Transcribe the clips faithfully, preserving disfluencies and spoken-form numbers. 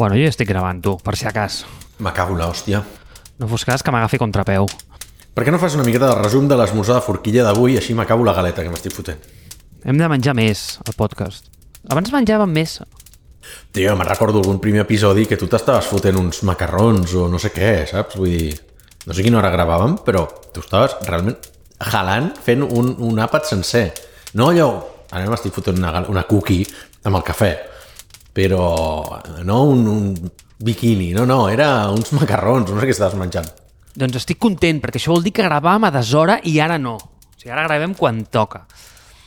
Bueno, jo ja estic gravant, tu, per si acas. M'acabo l'hòstia. No fos cas que m'agafi contrapeu. Per què no fas una miqueta de resum de l'esmorzar de forquilla d'avui, així m'acabo la galeta que m'estic fotent? Hem de menjar més, al podcast. Abans menjàvem més. Tio, me'n recordo algun primer episodi que tu t'estaves fotent uns macarrons o no sé què, saps? Vull dir, no sé quina hora gravàvem, però tu estaves realment jalant fent un, un àpat sencer. No allò, ara m'estic fotent una, una cookie amb el cafè, però no un, un biquini, no, no, era uns macarrons, no sé què estaves menjant. Doncs estic content, perquè això vol dir que gravàvem a deshora i ara no. O sigui, ara gravem quan toca.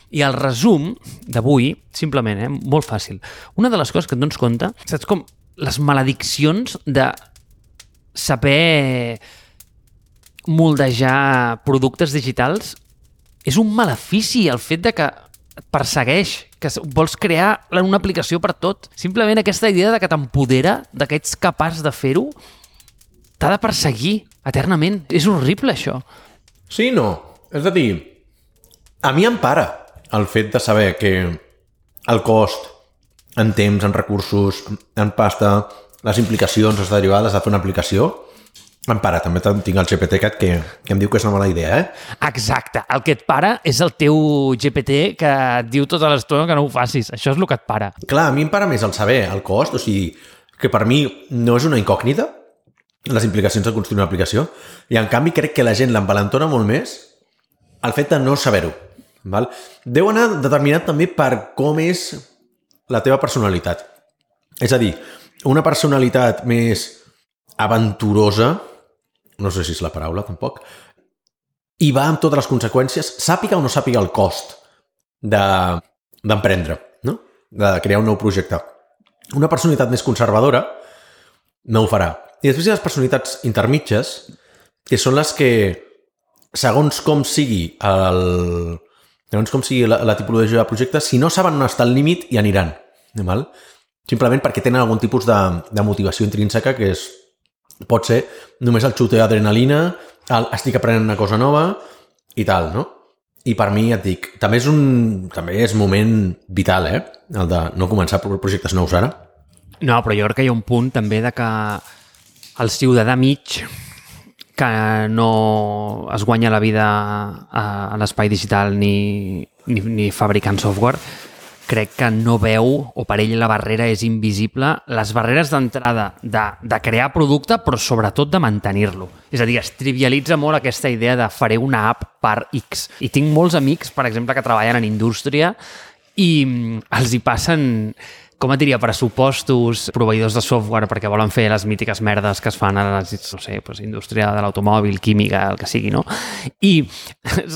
I el resum d'avui, simplement, eh, molt fàcil. Una de les coses que et dones compte, saps com les malediccions de saber moldejar productes digitals, és un malefici el fet de que et persegueix, que vols crear una aplicació per tot. Simplement aquesta idea de que t'empodera, de que ets capaç de fer-ho, t'ha de perseguir eternament. És horrible, això. Sí, no. És a dir, a mi em para el fet de saber que el cost en temps, en recursos, en pasta, les implicacions, les derivades de fer una aplicació, em para. També tinc el G P T cat que, que em diu que és una mala idea, eh? Exacte. El que et para és el teu G P T que et diu tota l'estona que no ho facis. Això és el que et para. Clar, a mi em para més el saber, el cost, o sigui, que per mi no és una incògnita, les implicacions de construir una aplicació, i en canvi crec que la gent l'envalentona molt més el fet de no saber-ho. Val? Deu anar determinat també per com és la teva personalitat. És a dir, una personalitat més aventurosa, no sé si és la paraula tampoc, i va amb totes les conseqüències, sàpiga o no sàpiga el cost d'emprendre, de, no? De crear un nou projecte. Una personalitat més conservadora no ho farà. I després hi ha les personalitats intermitges, que són les que, segons com sigui el... segons com sigui la, la tipologia de projecte, si no saben on està el límit, hi aniran. Val? Simplement perquè tenen algun tipus de, de motivació intrínseca que és, pot ser només el xute d'adrenalina, el estic aprenent una cosa nova i tal, no? I per mi, ja et dic, també és un també és moment vital, eh? El de no començar projectes nous ara. No, però jo crec que hi ha un punt també de que el ciutadà mig que no es guanya la vida a, a l'espai digital ni, ni, ni fabricant software, crec que no veu, o per ell la barrera és invisible, les barreres d'entrada de, de crear producte, però sobretot de mantenir-lo. És a dir, es trivialitza molt aquesta idea de faré una app per X. I tinc molts amics, per exemple, que treballen en indústria i els hi passen, com et diria, pressupostos, proveïdors de software perquè volen fer les mítiques merdes que es fan a la, no sé, pues, indústria de l'automòbil, química, el que sigui, no? I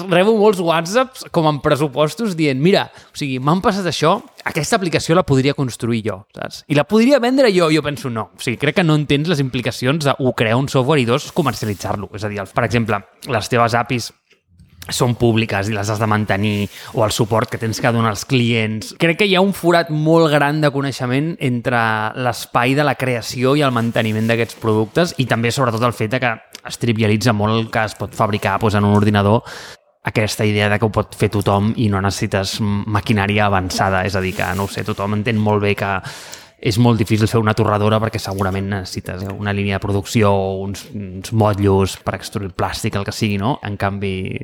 rebo molts whatsapps com en pressupostos dient, mira, o sigui, m'han passat això, aquesta aplicació la podria construir jo, saps? I la podria vendre jo, jo penso, no. O sigui, crec que no entens les implicacions de, un, crear un software i dos, comercialitzar-lo. És a dir, per exemple, les teves A P Is són públiques i les has de mantenir, o el suport que tens que donar als clients. Crec que hi ha un forat molt gran de coneixement entre l'espai de la creació i el manteniment d'aquests productes, i també sobretot el fet de que es trivialitza molt el que es pot fabricar doncs, en un ordinador, aquesta idea de que ho pot fer tothom i no necessites maquinària avançada. És a dir, que no ho sé, tothom entén molt bé que és molt difícil fer una torradora perquè segurament necessites una línia de producció o uns, uns motllos per extruir plàstic, el que sigui, no? En canvi,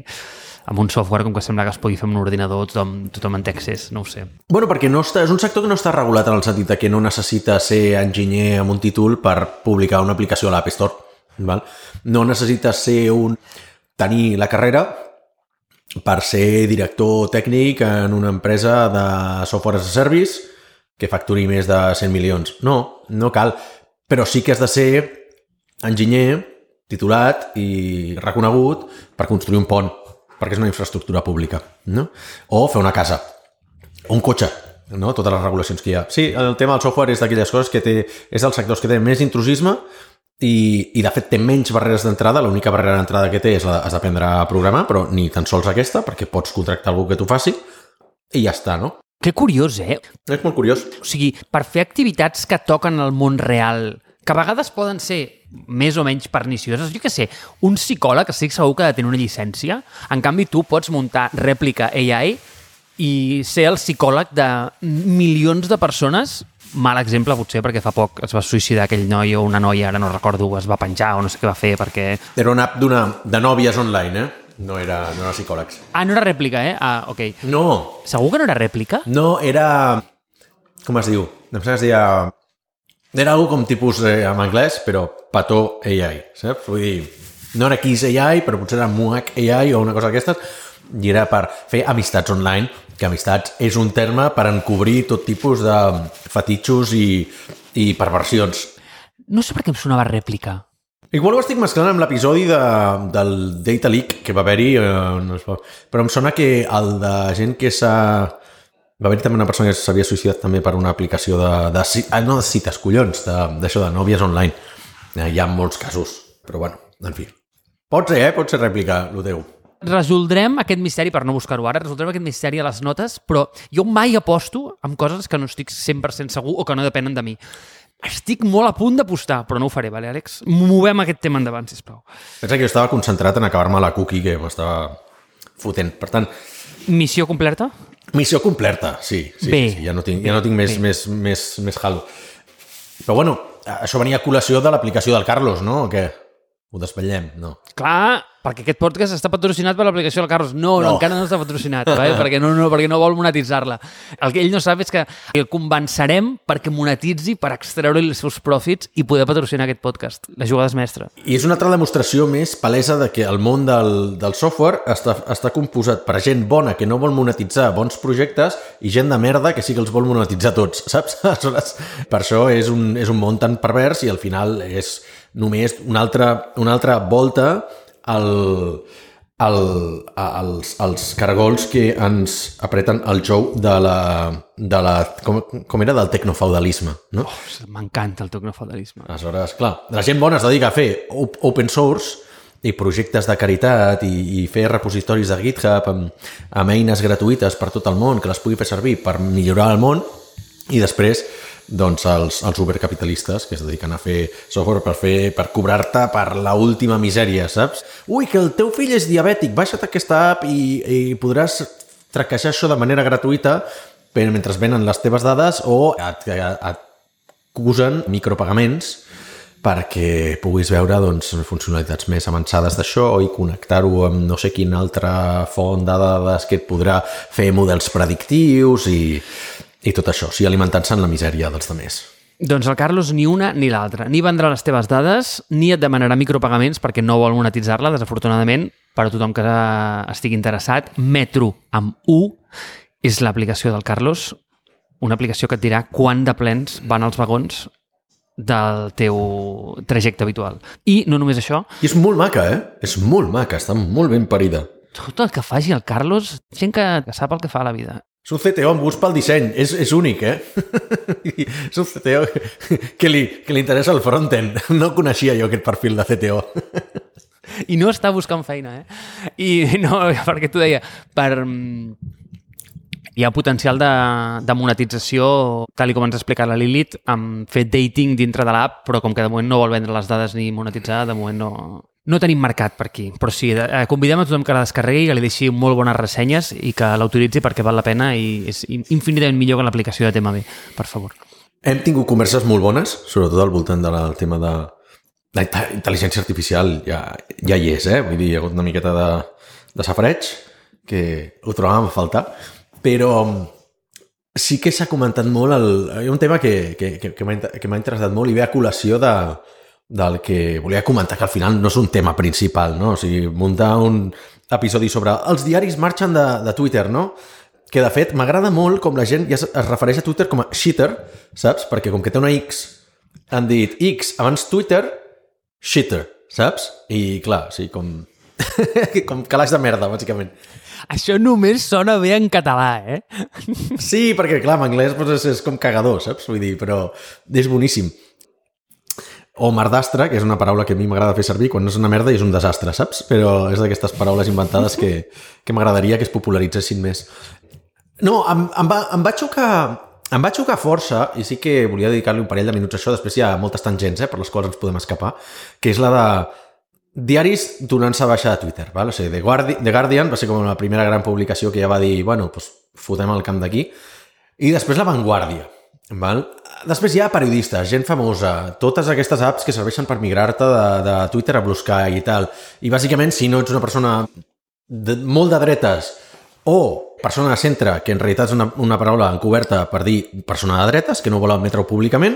amb un software, com que sembla que es pugui fer amb un ordinador, tothom, tothom en té accés, no ho sé. Bueno, perquè no està, és un sector que no està regulat en el sentit que no necessita ser enginyer amb un títol per publicar una aplicació a l'App Store. Val? No necessites ser un... tenir la carrera per ser director tècnic en una empresa de software as a service que facturi més de cent milions. No, no cal. Però sí que has de ser enginyer titulat i reconegut per construir un pont, perquè és una infraestructura pública, no? O fer una casa, o un cotxe, no? Totes les regulacions que hi ha. Sí, el tema del software és d'aquelles coses que té, és dels sectors que té més intrusisme i, i de fet té menys barreres d'entrada. L'única barrera d'entrada que té és la, has d'aprendre a programar, però ni tan sols aquesta, perquè pots contractar algú que t'ho faci i ja està, no? Que curiós, eh? És molt curiós. O sigui, per fer activitats que toquen el món real, que a vegades poden ser més o menys pernicioses, jo què sé, un psicòleg estic segur que ha de tenir una llicència, en canvi tu pots muntar rèplica A I i ser el psicòleg de milions de persones mal exemple, potser, perquè fa poc es va suïcidar aquell noi o una noia, ara no recordo, es va penjar o no sé què va fer, perquè... Era una app d'una, de nòvies online, eh? No era, no era psicòlegs. Ah, no era rèplica, eh? Ah, ok. No. Segur que no era rèplica? No, era... Com es diu? Em sembla que es deia... Era algo com tipus eh, en anglès, però petó A I, saps? Vull dir, no era Kiss A I, però potser era Muac A I o una cosa d'aquestes, i era per fer amistats online, que amistats és un terme per encobrir tot tipus de fetitxos i, i perversions. No sé per què em sonava rèplica. Igual ho estic mesclant amb l'episodi de, del Data Leak que va haver-hi, eh, no es va... però em sona que el de gent que s'ha... Va haver-hi també una persona que s'havia suïcidat també per una aplicació de... de ah, no de cites, collons, d'això de, de nòvies online. Eh, hi ha molts casos, però bueno, en fi. Pot ser, eh? Pot ser rèplica, lo teu. Resoldrem aquest misteri, per no buscar-ho ara, resoldrem aquest misteri a les notes, però jo mai aposto amb coses que no estic cent per cent segur o que no depenen de mi. Estic molt a punt d'apostar, però no ho faré, vale, Àlex? Movem aquest tema endavant, sisplau. Pensa que jo estava concentrat en acabar-me la cookie que m'estava fotent. Per tant... Missió completa? Missió completa, sí. sí, bé, sí, sí. Ja no tinc, ja no tinc més, més, més, més halo. Però bueno, això venia a col·lació de l'aplicació del Carlos, no? O què? Ho desvetllem? No. Clar, perquè aquest podcast està patrocinat per l'aplicació del Carlos. No, no, no. encara no està patrocinat, eh? perquè, no, no, perquè no vol monetitzar-la. El que ell no sap és que el convencerem perquè monetitzi, per extreure-li els seus profits i poder patrocinar aquest podcast. La jugada és mestra. I és una altra demostració més palesa de que el món del, del software està, està composat per gent bona que no vol monetitzar bons projectes i gent de merda que sí que els vol monetitzar tots, saps? Aleshores, per això és un, és un món tan pervers i al final és només una altra, una altra volta al, al, als, als cargols que ens apreten el jou de la, de la com, com era, del tecnofeudalisme, no? Oh, m'encanta el tecnofeudalisme. Aleshores, clar, la gent bona es dedica a fer open source i projectes de caritat i, i fer repositoris de GitHub amb, amb eines gratuïtes per tot el món que les pugui fer servir per millorar el món i després doncs els, els ubercapitalistes que es dediquen a fer software per fer per cobrar-te per la última misèria, saps? Ui, que el teu fill és diabètic, baixa't aquesta app i, i podràs traquejar això de manera gratuïta mentre venen les teves dades o et, et acusen micropagaments perquè puguis veure doncs, funcionalitats més avançades d'això i connectar-ho amb no sé quina altra font de dades que et podrà fer models predictius i... I tot això, o sigui, alimentant-se en la misèria dels demés. Doncs el Carlos ni una ni l'altra. Ni vendrà les teves dades, ni et demanarà micropagaments perquè no vol monetitzar-la, desafortunadament, per a tothom que estigui interessat. Metro, amb U, és l'aplicació del Carlos, una aplicació que et dirà quant de plens van els vagons del teu trajecte habitual. I no només això... I és molt maca, eh? És molt maca, està molt ben parida. Tot el que faci el Carlos, gent que, que sap el que fa a la vida. És un C T O amb gust pel disseny, és, és únic, eh? És un C T O que li, que li interessa el frontend. No coneixia jo aquest perfil de C T O. I no està buscant feina, eh? I no, perquè t'ho deia, per... hi ha potencial de, de monetització, tal com ens ha explicat la Lilith, amb fer dating dintre de l'app, però com que de moment no vol vendre les dades ni monetitzar, de moment no... No tenim mercat per aquí, però sí, eh, convidem a tothom que la descarregui, que li deixi molt bones ressenyes i que l'autoritzi perquè val la pena i és infinitament millor que l'aplicació de Tema B, per favor. Hem tingut converses molt bones, sobretot al voltant del tema de la intel·ligència artificial, ja, ja hi és, eh? Vull dir, hi ha hagut una miqueta de, de safareig, que ho trobàvem a faltar, però sí que s'ha comentat molt, el, hi ha un tema que, que, que, que m'ha interessat molt i ve a col·lació de del que volia comentar, que al final no és un tema principal, no? O sigui, muntar un episodi sobre els diaris marxen de, de Twitter, no? Que, de fet, m'agrada molt com la gent ja es refereix a Twitter com a shitter, saps? Perquè com que té una X, han dit X abans Twitter, shitter, saps? I, clar, o sigui, com... com calaix de merda, bàsicament. Això només sona bé en català, eh? Sí, perquè, clar, en anglès doncs, és, és com cagador, saps? Vull dir, però és boníssim. O merdastre, que és una paraula que a mi m'agrada fer servir quan no és una merda i és un desastre, saps? Però és d'aquestes paraules inventades que, que m'agradaria que es popularitzessin més. No, em, em, va, em va xocar... Em va xocar força, i sí que volia dedicar-li un parell de minuts a això, després hi ha moltes tangents, eh, per les quals ens podem escapar, que és la de diaris donant-se baixa de Twitter, val? O sigui, The Guardian, The Guardian va ser com la primera gran publicació que ja va dir, bueno, doncs fotem el camp d'aquí, i després La Vanguardia, val? Després hi ha periodistes, gent famosa, totes aquestes apps que serveixen per migrar-te de, de Twitter a Blue Sky i tal. I bàsicament, si no ets una persona de, molt de dretes o persona de centre, que en realitat és una, una paraula encoberta per dir persona de dretes, que no vol admetre-ho públicament,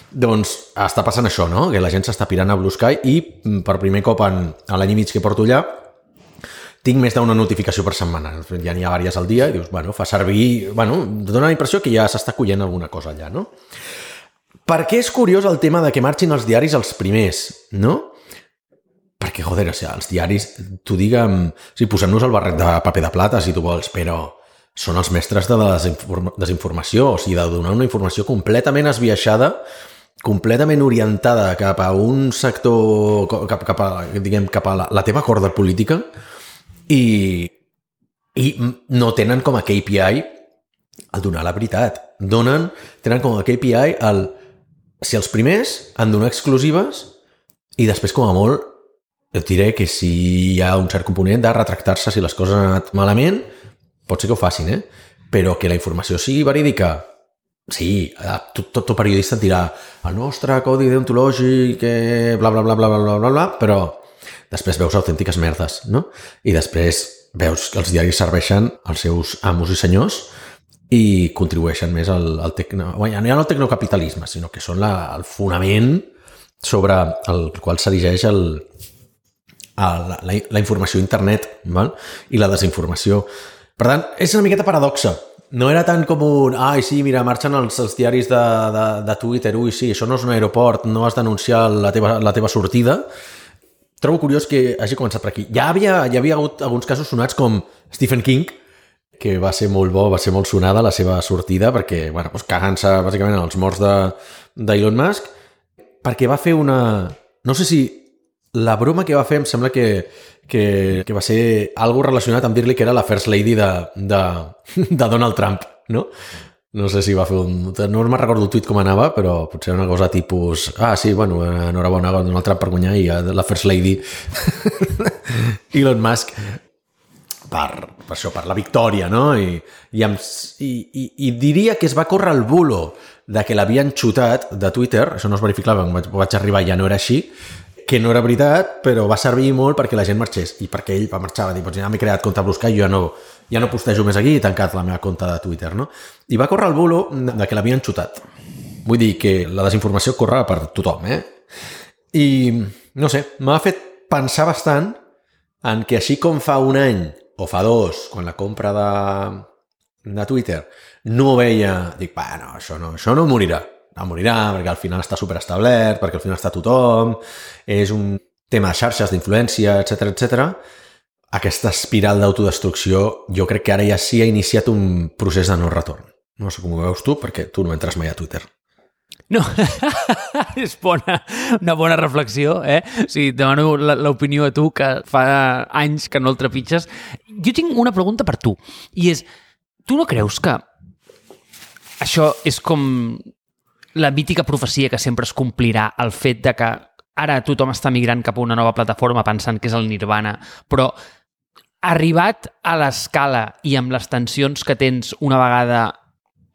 doncs està passant això, no? Que la gent s'està pirant a Blue Sky i per primer cop en, en l'any i mig que porto allà tinc més d'una notificació per setmana. Ja n'hi ha diverses al dia i dius, bueno, fa servir... Bueno, dona la impressió que ja s'està collent alguna cosa allà, no? Per què és curiós el tema de que marxin els diaris els primers, no? Perquè, joder, o sigui, els diaris, tu digue'm... O sigui, posem-nos el barret de paper de plata, si tu vols, però són els mestres de la desinform- desinformació, o sigui, de donar una informació completament esbiaixada, completament orientada cap a un sector, cap, cap a, diguem, cap a la, la teva corda política, i, i no tenen com a K P I el donar la veritat. Donen, tenen com a K P I el si els primers han donar exclusives i després com a molt et diré que si hi ha un cert component de retractar-se si les coses han anat malament, pot ser que ho facin, eh? Però que la informació sigui verídica, sí, tot, tot, tot periodista et dirà el nostre codi deontològic, que bla, bla, bla, bla, bla, bla, bla, però després veus autèntiques merdes, no? I després veus que els diaris serveixen als seus amos i senyors i contribueixen més al, al tecno... Bueno, ja no al tecnocapitalisme, sinó que són la, el fonament sobre el qual s'erigeix el, el, la, la informació a internet, val? I la desinformació. Per tant, és una miqueta paradoxa. No era tant com un... Ai, sí, mira, marxen els, els diaris de, de, de Twitter. Ui, sí, això no és un aeroport, no has d'anunciar la teva, la teva sortida. Trobo curiós que hagi començat per aquí. Ja havia, ja havia hagut alguns casos sonats com Stephen King, que va ser molt bo, va ser molt sonada la seva sortida, perquè, bueno, doncs cagant-se bàsicament en els morts d'Elon Musk, perquè va fer una... No sé si la broma que va fer em sembla que, que, que va ser algo relacionat amb dir-li que era la First Lady de, de, de Donald Trump, no? No sé si va fer un... No me'n recordo el tuit com anava, però potser una cosa tipus... Ah, sí, bueno, enhorabona a Donald Trump per guanyar i la First Lady Elon Musk per, per això, per la victòria, no? I, i, amb, i, i, i diria que es va córrer el bulo de que l'havien xutat de Twitter, això no es verificava, quan vaig, vaig arribar ja no era així, que no era veritat, però va servir molt perquè la gent marxés i perquè ell va marxar, va dir, doncs ja m'he creat compte a Blue Sky, jo ja no, ja no postejo més aquí i he tancat la meva compte de Twitter, no? I va córrer el bulo de que l'havien xutat. Vull dir que la desinformació corre per tothom, eh? I, no sé, m'ha fet pensar bastant en que així com fa un any o fa dos, quan la compra de, de Twitter no veia, dic, bueno, això no, això no morirà. No morirà, perquè al final està superestablert, perquè al final està tothom, és un tema de xarxes, d'influència, etcètera, etcètera. Aquesta espiral d'autodestrucció jo crec que ara ja sí ha iniciat un procés de no retorn. No sé com ho veus tu, perquè tu no entres mai a Twitter. No, és bona, una bona reflexió, eh? O sigui, demano l'opinió a tu, que fa anys que no el trepitges. Jo tinc una pregunta per tu, i és, tu no creus que això és com la mítica profecia que sempre es complirà, el fet de que ara tothom està migrant cap a una nova plataforma pensant que és el Nirvana, però arribat a l'escala i amb les tensions que tens una vegada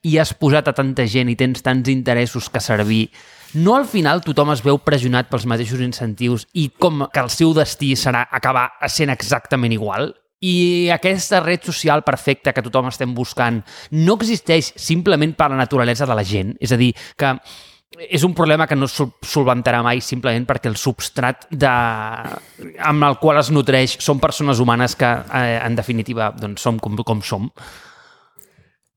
i has posat a tanta gent i tens tants interessos que servir, no al final tothom es veu pressionat pels mateixos incentius i com que el seu destí serà acabar sent exactament igual? I aquesta red social perfecta que tothom estem buscant no existeix simplement per la naturalesa de la gent? És a dir, que és un problema que no es solventarà mai simplement perquè el substrat de... amb el qual es nutreix són persones humanes que, eh, en definitiva, doncs, som com, com som?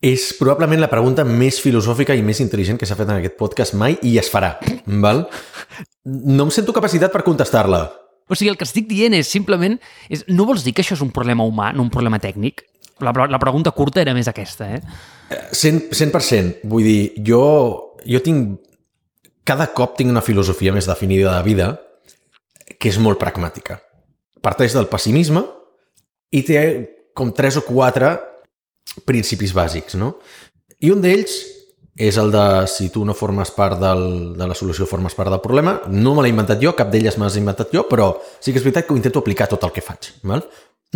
És probablement la pregunta més filosòfica i més intel·ligent que s'ha fet en aquest podcast mai i es farà, val? No em sento capacitat per contestar-la. O sigui, el que estic dient és simplement... És, no vols dir que això és un problema humà, no un problema tècnic? La, la pregunta curta era més aquesta, eh? cent per cent. Vull dir, jo, jo tinc... Cada cop tinc una filosofia més definida de vida que és molt pragmàtica. Parteix del pessimisme i té com tres o quatre principis bàsics, no? I un d'ells és el de si tu no formes part del, de la solució, formes part del problema. No me l'he inventat jo, cap d'elles me l'he inventat jo, però sí que és veritat que ho intento aplicar tot el que faig, val?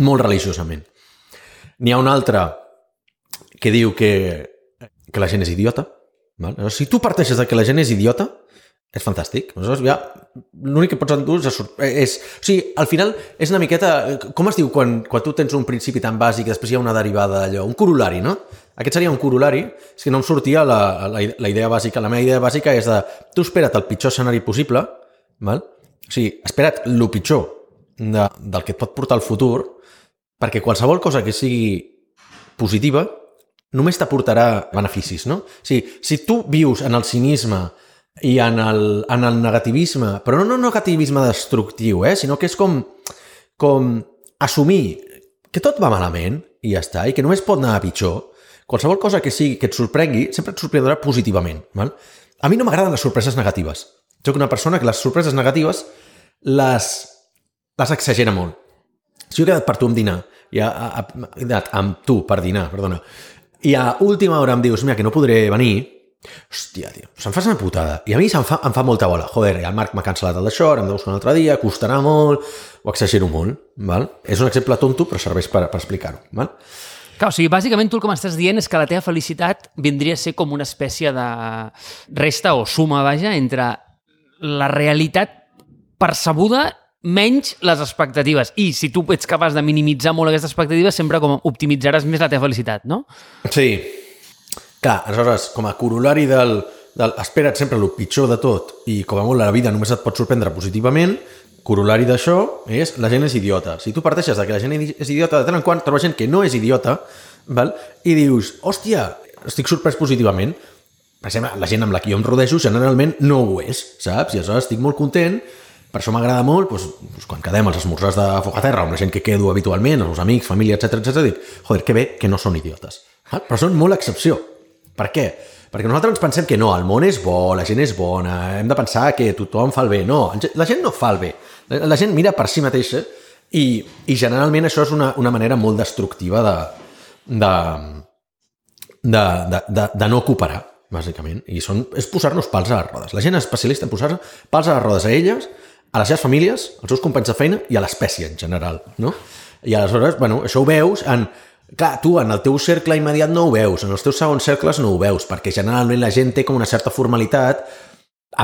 Molt religiosament. N'hi ha un altre que diu que, que la gent és idiota, Val? Si tu parteixes de que la gent és idiota, és fantàstic. Aleshores, ja, l'únic que pots endur és, és... O sigui, al final és una miqueta... Com es diu quan, quan tu tens un principi tan bàsic i després hi ha una derivada d'allò? Un corolari, no? Aquest seria un corolari. És que no em sortia la, la, la idea bàsica. La meva idea bàsica és de... Tu espera't el pitjor escenari possible, val? O sigui, espera't el pitjor de, del que et pot portar al futur, perquè qualsevol cosa que sigui positiva només t'aportarà beneficis, no? O sigui, si tu vius en el cinisme i en el, en el negativisme, però no, no negativisme destructiu, eh? Sinó que és com, com assumir que tot va malament i ja està, i que només pot anar a pitjor, qualsevol cosa que sigui que et sorprengui, sempre et sorprendrà positivament. Val? A mi no m'agraden les sorpreses negatives. Soc una persona que les sorpreses negatives les, les exagera molt. Si jo he quedat per tu amb dinar, i a, a, a, he quedat amb tu per dinar, perdona, i a última hora em dius, mira, que no podré venir, hòstia, tio, se'm fa una putada. I a mi se'm fa, em fa molta bola. Joder, el Marc m'ha cancel·lat el d'això, ara em de buscar un altre dia, costarà molt, ho exagero molt. Val? És un exemple tonto, però serveix per, per explicar-ho. Val? Clar, o sigui, bàsicament tu el que m'estàs dient és que la teva felicitat vindria a ser com una espècie de resta o suma, vaja, entre la realitat percebuda menys les expectatives. I si tu ets capaç de minimitzar molt aquestes expectatives, sempre com optimitzaràs més la teva felicitat, no? Sí. Clar, aleshores, com a corolari del, del espera't sempre el pitjor de tot i com a molt la vida només et pot sorprendre positivament, corolari d'això és la gent és idiota. Si tu parteixes de que la gent és idiota, de tant en quant trobes gent que no és idiota, val? I dius, hòstia, estic sorprès positivament. Per exemple, la gent amb la que jo em rodejo generalment no ho és, saps? I aleshores estic molt content. Per això m'agrada molt, doncs, doncs, quan quedem als esmorzars de foc a terra, amb la gent que quedo habitualment, els amics, família, etcètera, etcètera, dic, joder, que bé que no són idiotes. Val? Però són molt excepció. Per què? Perquè nosaltres ens pensem que no, el món és bo, la gent és bona, hem de pensar que tothom fa el bé. No, la gent no fa el bé. La gent mira per si mateixa i, i generalment això és una, una manera molt destructiva de, de, de, de, de, de no cooperar, bàsicament. I són, és posar-nos pals a les rodes. La gent és especialista en posar pals a les rodes a elles, a les seves famílies, als seus companys de feina i a l'espècie en general. No? I aleshores, bueno, això ho veus en... Clar, tu en el teu cercle immediat no ho veus, en els teus segons cercles no ho veus, perquè generalment la gent té com una certa formalitat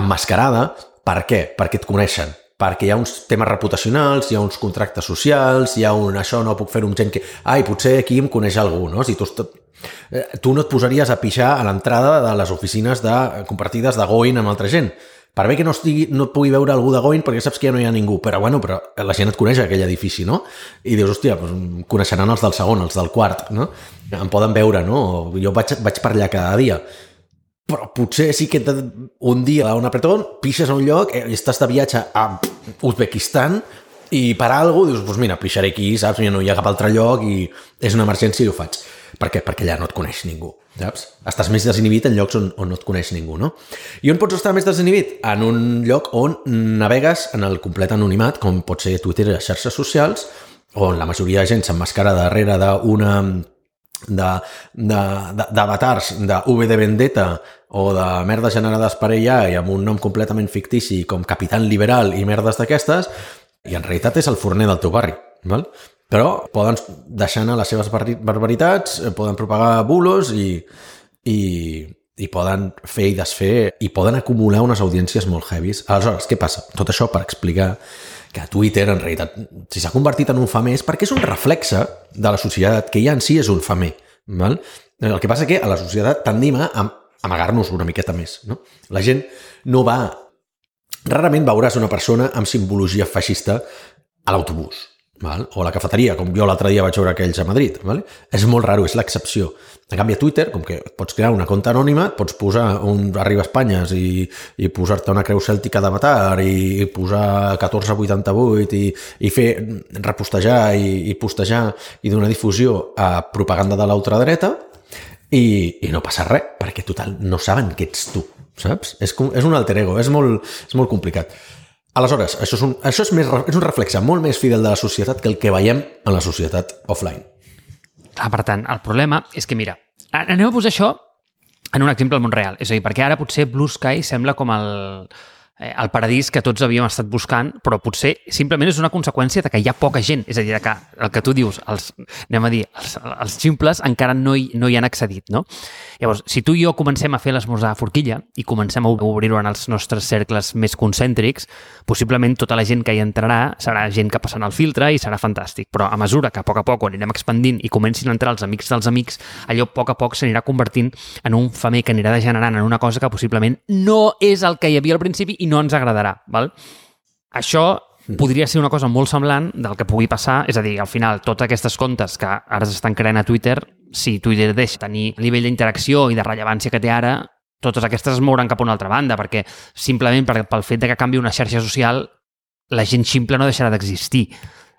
emmascarada. Per què? Perquè et coneixen. Perquè hi ha uns temes reputacionals, hi ha uns contractes socials, hi ha un això no puc fer-ho amb gent que... Ai, potser aquí em coneix algú, no? Si tu, tu no et posaries a pixar a l'entrada de les oficines de, compartides de Going amb altra gent. Per bé que no, estigui, no et pugui veure algú de Going perquè saps que ja no hi ha ningú, però bueno, però la gent et coneix aquell edifici, no? I dius, hòstia, doncs coneixeran els del segon, els del quart, no? Em poden veure, no? Jo vaig, vaig per allà cada dia. Però potser sí que un dia a un apretón pixes a un lloc i estàs de viatge a Uzbekistan i per alguna cosa dius, doncs mira, pixaré aquí, saps? No hi ha cap altre lloc i és una emergència i ho faig. Per què? Perquè allà no et coneix ningú, saps? Estàs més desinhibit en llocs on, on no et coneix ningú, no? I on pots estar més desinhibit? En un lloc on navegues en el complet anonimat, com pot ser Twitter i les xarxes socials, on la majoria de gent s'emmascara darrere d'una... d'avatars de, de, de V de Vendetta o de merdes generades per A I i amb un nom completament fictici com Capitán Liberal i merdes d'aquestes, i en realitat és el forner del teu barri, val? Però poden deixar anar les seves barbaritats, poden propagar bulos i, i, i poden fer i desfer i poden acumular unes audiències molt heavies. Aleshores, què passa? Tot això per explicar que Twitter, en realitat, si s'ha convertit en un famer és perquè és un reflexe de la societat, que ja en si és un famer. Val? El que passa és que a la societat tendim a amagar-nos una miqueta més. No? La gent no va... Rarament veuràs una persona amb simbologia feixista a l'autobús. Val? O a la cafeteria, com jo l'altre dia vaig veure aquells a Madrid. Val? És molt raro, és l'excepció. En canvi, a Twitter, com que pots crear una compte anònima, pots posar un Arriba Espanyes i, i posar-te una creu cèltica d'avatar i, i posar catorze vuitanta-vuit i, i fer repostejar i, i postejar i donar difusió a propaganda de l'ultradreta i, i no passa res, perquè total no saben que ets tu, saps? És, com, és un alter ego, és molt, és molt complicat. Aleshores, això, és un, això és, més, és un reflexe molt més fidel de la societat que el que veiem en la societat offline. Ah, per tant, el problema és que, mira, anem a posar això en un exemple del món real. És a dir, perquè ara potser Blue Sky sembla com el, eh, el paradís que tots havíem estat buscant, però potser simplement és una conseqüència de que hi ha poca gent, és a dir, que el que tu dius, els, anem a dir, els, els ximples encara no hi, no hi han accedit, no? Llavors, si tu i jo comencem a fer l'esmorzar a forquilla i comencem a obrir-ho en els nostres cercles més concèntrics, possiblement tota la gent que hi entrarà serà gent que passarà el filtre i serà fantàstic, però a mesura que a poc a poc ho anirem expandint i comencin a entrar els amics dels amics, allò a poc a poc s'anirà convertint en un femer que anirà degenerant en una cosa que possiblement no és el que hi havia al principi i no ens agradarà, val? Això podria ser una cosa molt semblant del que pugui passar, és a dir, al final, totes aquestes comptes que ara s'estan creant a Twitter, si Twitter deixa tenir el nivell d'interacció i de rellevància que té ara, totes aquestes es mouran cap a una altra banda, perquè simplement per, pel fet de que canvi una xarxa social, la gent ximple no deixarà d'existir.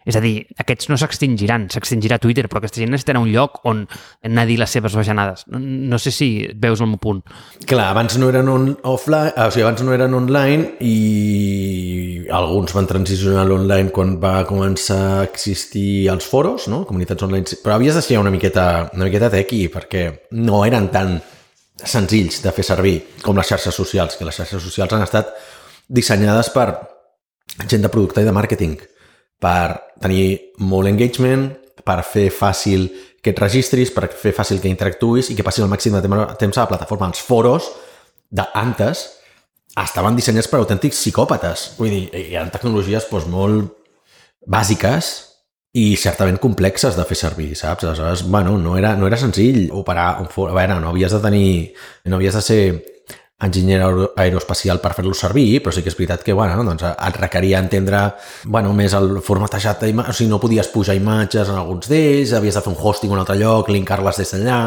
És a dir, aquests no s'extingiran, s'extingirà Twitter, però aquesta gent necessitarà un lloc on anar a dir les seves bajanades. No, no sé si veus el meu punt. Clar, abans no eren on, offline, o sigui, abans no eren online i alguns van transicionar a l'online quan va començar a existir els foros, no? Comunitats online, però havies de ser una miqueta, una miqueta tequi perquè no eren tan senzills de fer servir com les xarxes socials, que les xarxes socials han estat dissenyades per gent de producte i de màrqueting, per tenir molt engagement, per fer fàcil que et registris, per fer fàcil que interactuïs i que passis el màxim de temps a la plataforma. Els foros d'antes estaven dissenyats per autèntics psicòpates. Vull dir, hi ha tecnologies doncs, molt bàsiques i certament complexes de fer servir, saps? Aleshores, bueno, no era, no era senzill operar un foro. A veure, no havies de tenir... no havies de ser enginyer aeroespacial per fer-lo servir, però sí que és veritat que bueno, doncs et requeria entendre bueno, més el formatejat d'imatges, o sigui, no podies pujar imatges en alguns d'ells, havies de fer un hosting en un altre lloc, linkar-les des d'allà,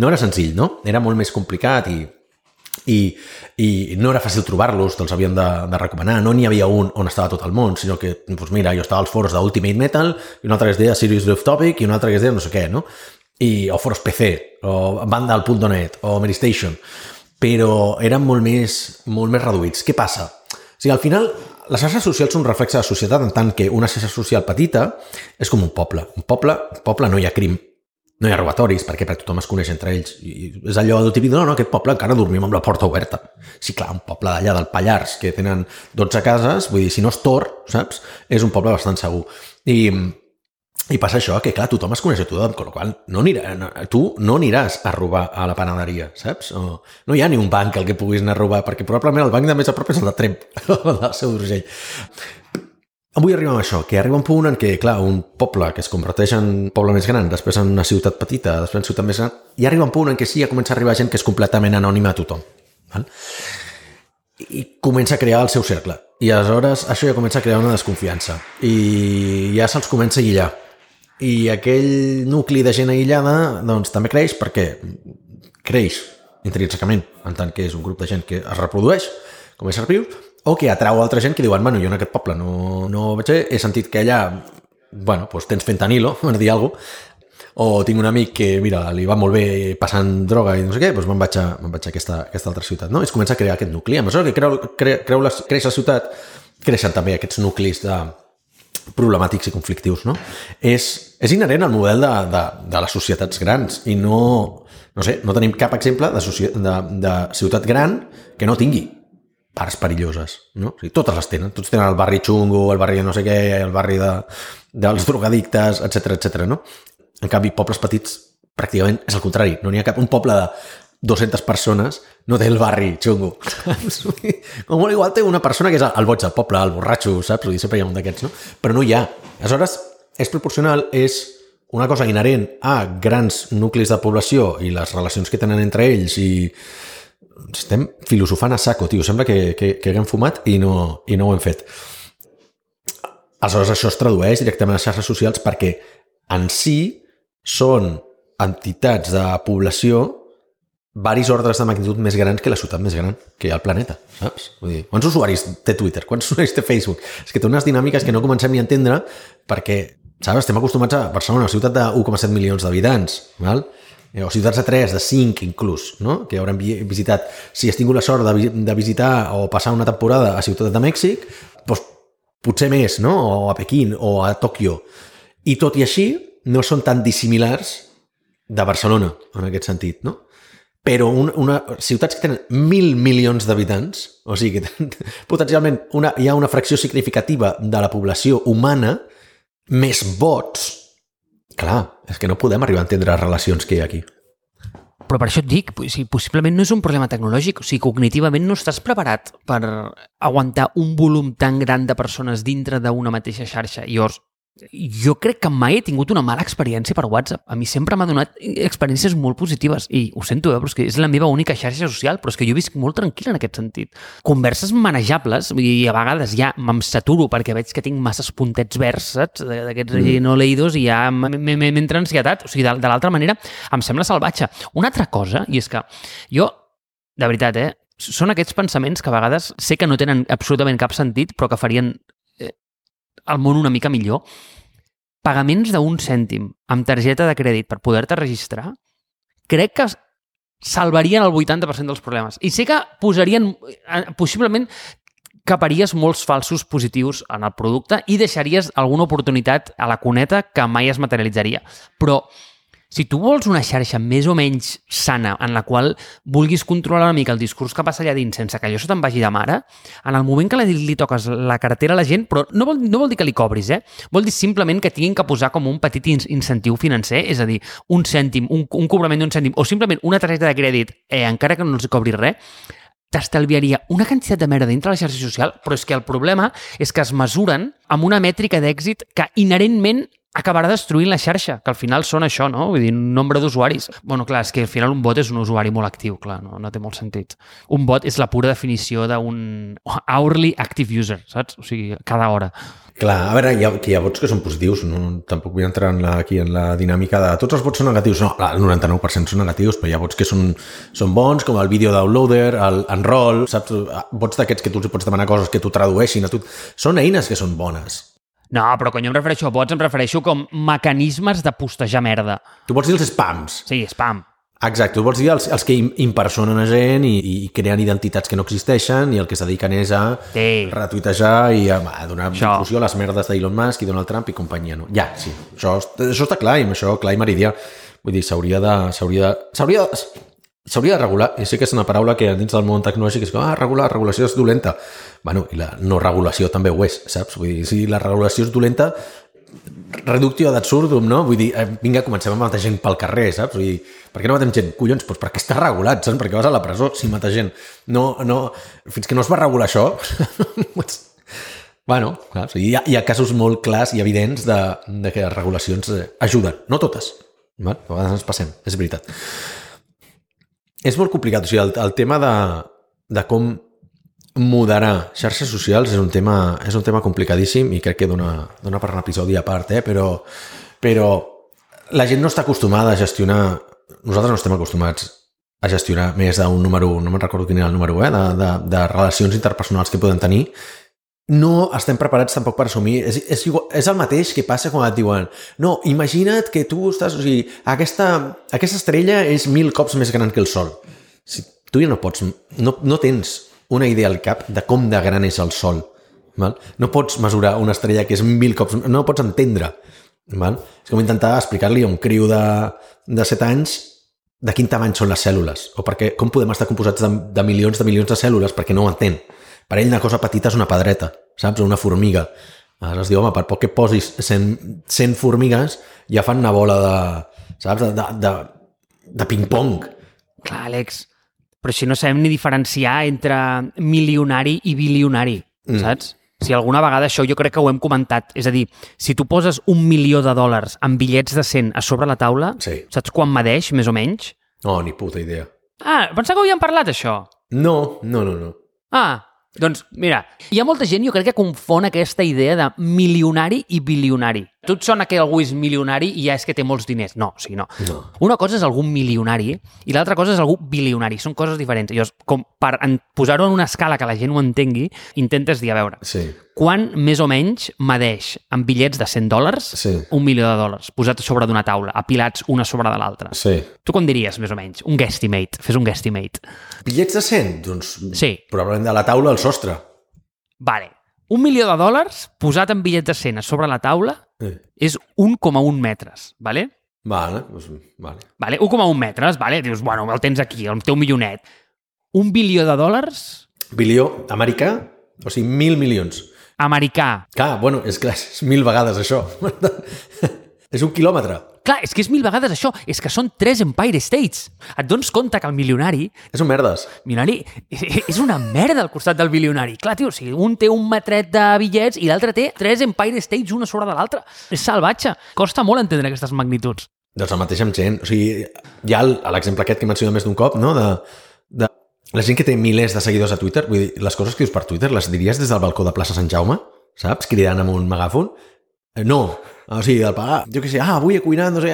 no era senzill, no? Era molt més complicat i, i, i no era fàcil trobar-los, te'ls havien de, de recomanar, no n'hi havia un on estava tot el món, sinó que, doncs mira, jo estava als foros d'Ultimate Metal, i un altre que es deia Serious Drift Topic, i un altre que es deia no sé què, no? I, o foros P C, o Vandal punt net, o Medistation, però eren molt més, molt més reduïts. Què passa? O sigui, al final, les xarxes socials són un reflexe de la societat en tant que una xarxa social petita és com un poble. Un poble, un poble no hi ha crim, no hi ha robatoris, perquè, perquè tothom es coneix entre ells. I és allò del típic, no, no, aquest poble encara dormim amb la porta oberta. Sí, clar, un poble d'allà del Pallars, que tenen dotze cases, vull dir, si no és Tor, saps? És un poble bastant segur. I... I passa això, que clar, tothom es coneix a tothom, amb la qual no anirà, no, tu no aniràs a robar a la panaderia, saps? O, no hi ha ni un banc al que puguis anar a robar, perquè probablement el banc de més a prop és el de Tremp, el del Seu d'Urgell. Avui arribem a això, que arriba un punt en què, clar, un poble que es converteix en poble més gran, després en una ciutat petita, després en ciutat més gran, i arriba un punt en què sí, ja comença a arribar gent que és completament anònima a tothom. Val? I comença a crear el seu cercle. I aleshores això ja comença a crear una desconfiança. I ja se'ls comença a aïllar. I aquell nucli de gent aïllada doncs també creix perquè creix intrínsecament en tant que és un grup de gent que es reprodueix com a éssers vius o que atrau altra gent que diuen, bueno, jo en aquest poble no, no vaig ser, he sentit que allà bueno, doncs tens fentanilo, per dir alguna cosa, o tinc un amic que, mira, li va molt bé passant droga i no sé què, doncs me'n vaig a, me'n vaig a aquesta, aquesta altra ciutat, no? I es comença a crear aquest nucli. A mesura que creu, creu, creu la, creix la ciutat, creixen també aquests nuclis de problemàtics i conflictius, no? És, és inherent al model de, de, de les societats grans i no, no sé, no tenim cap exemple de, de, de ciutat gran que no tingui parts perilloses, no? O sigui, totes les tenen, tots tenen el barri xungo, el barri de no sé què, el barri de, dels drogadictes, etcètera, etcètera, no? En canvi, pobles petits, pràcticament és el contrari, no n'hi ha cap, un poble de dues-centes persones no té el barri xungo. Com molt igual té una persona que és el boig del poble, el borratxo, saps? Vull dir, sempre hi ha un d'aquests, no? Però no hi ha. Aleshores, és proporcional, és una cosa inherent a grans nuclis de població i les relacions que tenen entre ells i estem filosofant a saco, tio. Sembla que, que, que haguem fumat i no, i no ho hem fet. Aleshores, això es tradueix directament a les xarxes socials perquè en si són entitats de població varis ordres de magnitud més grans que la ciutat més gran, que el planeta, saps? Vull dir, quants usuaris té Twitter? Quants usuaris té Facebook? És que té unes dinàmiques que no comencem ni a entendre perquè, saps, estem acostumats a Barcelona, una ciutat de u coma set milions d'habitants, val? O ciutats de tres, de cinc inclús, no? Que haurem visitat. Si has tingut la sort de, de visitar o passar una temporada a Ciutat de Mèxic, doncs potser més, no? O a Pequín o a Tòquio. I tot i així, no són tan dissimilars de Barcelona, en aquest sentit, no? però una, una, ciutats que tenen mil milions d'habitants, o sigui que tenen, potencialment una, hi ha una fracció significativa de la població humana, més vots, clar, és que no podem arribar a entendre les relacions que hi ha aquí. Però per això et dic, o sigui, possiblement no és un problema tecnològic, o sigui, cognitivament no estàs preparat per aguantar un volum tan gran de persones dintre d'una mateixa xarxa. I llavors, jo crec que mai he tingut una mala experiència per WhatsApp. A mi sempre m'ha donat experiències molt positives i ho sento, eh, però és que és la meva única xarxa social, però és que jo visc molt tranquil en aquest sentit. Converses manejables i a vegades ja me'm saturo perquè veig que tinc masses puntets verds, saps? D'aquests mm. no leïdos i ja m'entra ansietat. O sigui, de, de l'altra manera, em sembla salvatge. Una altra cosa, i és que jo, de veritat, eh, són aquests pensaments que a vegades sé que no tenen absolutament cap sentit, però que farien el món una mica millor. Pagaments d'un cèntim amb targeta de crèdit per poder-te registrar, crec que salvarien el vuitanta per cent dels problemes. I sé que posarien, possiblement, caparies molts falsos positius en el producte i deixaries alguna oportunitat a la cuneta que mai es materialitzaria. Però si tu vols una xarxa més o menys sana en la qual vulguis controlar una mica el discurs que passa allà dins sense que allò se te'n vagi de mare, en el moment que li, li toques la cartera a la gent, però no vol, no vol dir que li cobris, eh? Vol dir simplement que tinguin que posar com un petit incentiu financer, és a dir, un cèntim, un, un cobrament d'un cèntim, o simplement una targeta de crèdit, eh, encara que no els cobris res, t'estalviaria una quantitat de merda dintre la xarxa social, però és que el problema és que es mesuren amb una mètrica d'èxit que inherentment acabarà destruint la xarxa, que al final són això, no? Vull dir, un nombre d'usuaris. Bueno, clar, és que al final un bot és un usuari molt actiu, clar, no, no té molt sentit. Un bot és la pura definició d'un hourly active user, saps? O sigui, cada hora. Clar, a veure, hi ha, hi ha bots que són positius, no, tampoc vull entrar en la, aquí en la dinàmica de tots els bots són negatius, no, el noranta-nou per cent són negatius, però hi ha bots que són, són bons, com el video downloader, el enroll, saps? Bots d'aquests que tu els pots demanar coses que t'ho tradueixin a tu. Són eines que són bones. No, però quan jo em refereixo a bots, em refereixo com mecanismes de postejar merda. Tu vols dir els spams? Sí, spam. Exacte, tu vols dir els, els que impersonen a gent i, i creen identitats que no existeixen i el que es dediquen és a sí. retuitejar i a, a donar difusió a les merdes d'Elon Musk i Donald Trump i companyia. No? Ja, sí, això, això està clar i amb això clar i meridià. Vull dir, s'hauria de... S'hauria de, s'hauria de, s'hauria de regular, i sé que és una paraula que dins del món tecnològic és que, ah, regular, regulació és dolenta. Bueno, i la no regulació també ho és, saps? Vull dir, si la regulació és dolenta, reductio ad absurdum, no? Vull dir, eh, vinga, comencem a matar gent pel carrer, saps? Vull dir, per què no matem gent? Collons, doncs perquè està regulat, saps? Perquè vas a la presó si mata gent. No, no, fins que no es va regular això... bueno, clar, hi ha, hi ha casos molt clars i evidents de, de que les regulacions ajuden. No totes, val? A vegades ens passem, és veritat. És molt complicat, o sigui, el, el tema de, de com moderar xarxes socials és un tema, és un tema complicadíssim i crec que dona, dona per un episodi a part, eh? però, però la gent no està acostumada a gestionar, nosaltres no estem acostumats a gestionar més d'un número, no me'n recordo quin era el número, eh? de, de, de relacions interpersonals que podem tenir. No estem preparats tampoc per assumir, és, és, igual, és el mateix que passa quan et diuen no, imagina't que tu estàs, o sigui, aquesta, aquesta estrella és mil cops més gran que el Sol. Si tu ja no pots, no, no tens una idea al cap de com de gran és el Sol. Val? No pots mesurar una estrella que és mil cops, no ho pots entendre. Val? És com intentar explicar-li a un criu de, de set anys de quin tamany són les cèl·lules, o perquè, com podem estar composats de, de milions de milions de cèl·lules perquè no ho entén. Per ell una cosa petita és una pedreta, saps? Una formiga. Aleshores diu, home, per poc que posis cent, cent formigues ja fan una bola de, saps? De, de, de ping-pong. Clar, Àlex, però si no sabem ni diferenciar entre milionari i bilionari, mm. saps? Si alguna vegada això jo crec que ho hem comentat. És a dir, si tu poses un milió de dòlars en bitllets de cent a sobre la taula, sí. saps quan medeix, més o menys? No, ni puta idea. Ah, pensava que ho havíem parlat, això. No, no, no, no. Ah, doncs, mira, hi ha molta gent, jo crec que confon aquesta idea de milionari i bilionari. A tu et sona que algú és milionari i ja és que té molts diners. No, o sigui, no. no. Una cosa és algú milionari i l'altra cosa és algú bilionari. Són coses diferents. Llavors, com per posar-ho en una escala que la gent ho entengui, intentes dir, a veure, sí. quan més o menys medeix en bitllets de cent dòlars sí. un milió de dòlars posat sobre d'una taula, apilats una sobre de l'altra? Sí. Tu com diries, més o menys? Un guesstimate. Fes un guesstimate. Bitllets de cent? Doncs sí. probablement de la taula al sostre. Vale. Un milió de dòlars posat en bitllets de cent a sobre la taula eh. és un coma un metres, vale? Vale, doncs, vale. Vale? un coma un metres, vale? Dius, bueno, el tens aquí, el teu milionet. Un bilió de dòlars... Bilió americà? O sigui, mil milions. Americà. Clar, bueno, és clar, és mil vegades això. És un quilòmetre. Clar, és que és mil vegades això. És que són tres Empire States. Et dones compte que el milionari... És un merdes. Milionari és una merda al costat del bilionari. Clar, tio, o sigui, un té un metret de bitllets i l'altre té tres Empire States una sobre de l'altra. És salvatge. Costa molt entendre aquestes magnituds. Doncs el mateix amb gent. O sigui, hi ha l'exemple aquest que he mencionat més d'un cop, no? De, de la gent que té milers de seguidors a Twitter. Vull dir, les coses que dius per Twitter les diries des del balcó de plaça Sant Jaume, saps? Cridant amb un megàfon. No. O sigui, el pagar, jo què sé, ah, avui he cuinat, no sé,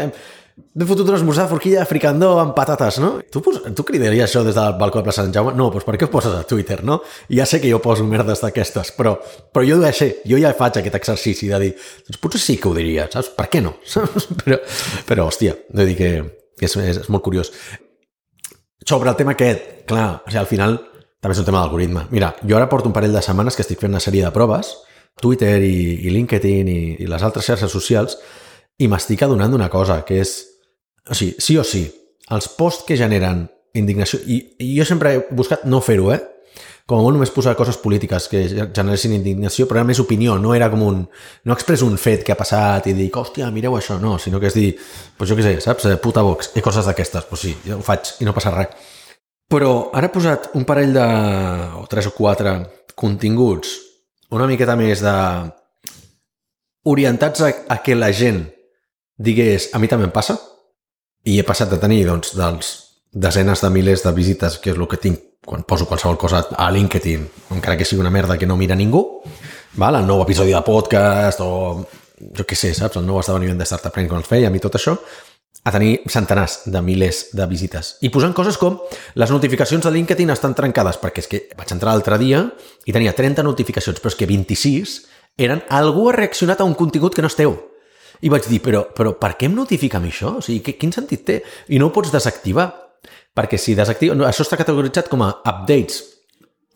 m'he fotut un esmorzar de forquilla fricandó amb patates, no? Tu, tu cridaries això des del balcó de plaça Sant Jaume? No, doncs per què ho poses a Twitter, no? I ja sé que jo poso merdes d'aquestes, però, però jo ho deixo, jo ja faig aquest exercici de dir, doncs potser sí que ho diria, saps? Per què no? però, però, hòstia, vull dir que és, és, és molt curiós. Sobre el tema aquest, clar, o sigui, al final també és un tema d'algoritme. Mira, jo ara porto un parell de setmanes que estic fent una sèrie de proves, Twitter i, i LinkedIn i, i les altres xarxes socials, i m'estic adonant d'una cosa, que és, o sigui, sí o sí, els posts que generen indignació, i, i jo sempre he buscat no fer-ho, eh? Com a molt només posar coses polítiques que generessin indignació, però era més opinió, no era com un... No expresso un fet que ha passat i dic, hòstia, mireu això, no, sinó que és dir, doncs jo què sé, saps, puta Vox, i coses d'aquestes, doncs sí, jo ho faig i no passa res. Però ara he posat un parell de... o tres o quatre continguts una miqueta més de... orientats a, a que la gent digués, a mi també em passa, i he passat de tenir, doncs, dels desenes de milers de visites, que és el que tinc quan poso qualsevol cosa a LinkedIn, encara que sigui una merda que no mira ningú, val? El nou episodi de podcast, o jo què sé, saps? El nou esdeveniment de Startup Brain quan els fèiem i tot això, a tenir centenars de milers de visites. I posant coses com les notificacions de LinkedIn estan trencades, perquè és que vaig entrar l'altre dia i tenia trenta notificacions, però és que vint-i-sis eren algú ha reaccionat a un contingut que no és teu. I vaig dir, però, però per què em notifica a mi això? O sigui, quin sentit té? I no ho pots desactivar, perquè si desactiva... No, això està categoritzat com a updates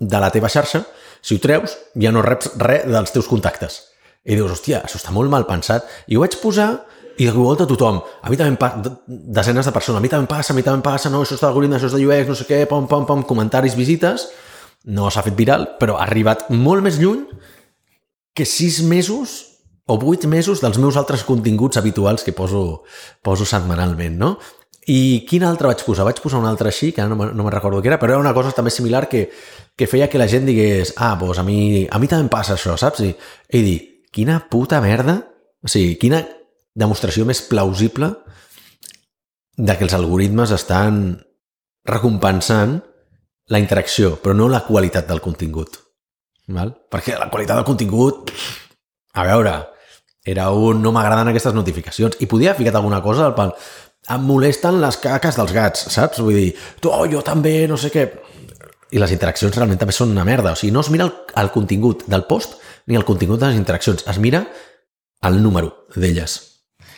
de la teva xarxa. Si ho treus, ja no reps res dels teus contactes. I dius, hòstia, això està molt mal pensat. I ho vaig posar i de volta a tothom. A mi també em passa, desenes de persones, a mi també em passa, a mi també em passa, no, això és d'algoritme, això és de U X, no sé què, pom, pom, pom, comentaris, visites. No s'ha fet viral, però ha arribat molt més lluny que sis mesos o vuit mesos dels meus altres continguts habituals que poso, poso setmanalment, no? I quin altre vaig posar? Vaig posar un altre així, que no, no me'n recordo què era, però era una cosa també similar que, que feia que la gent digués, ah, doncs a mi, a mi també em passa això, saps? I, i dir, quina puta merda, o sigui, quina demostració més plausible de que els algoritmes estan recompensant la interacció, però no la qualitat del contingut. Val? Perquè la qualitat del contingut, a veure, era un no m'agraden aquestes notificacions, i podia haver ficat alguna cosa al pal. Em molesten les caques dels gats, saps? Vull dir, tu, oh, jo també, no sé què. I les interaccions realment també són una merda. O sigui, no es mira el, el contingut del post ni el contingut de les interaccions. Es mira el número d'elles.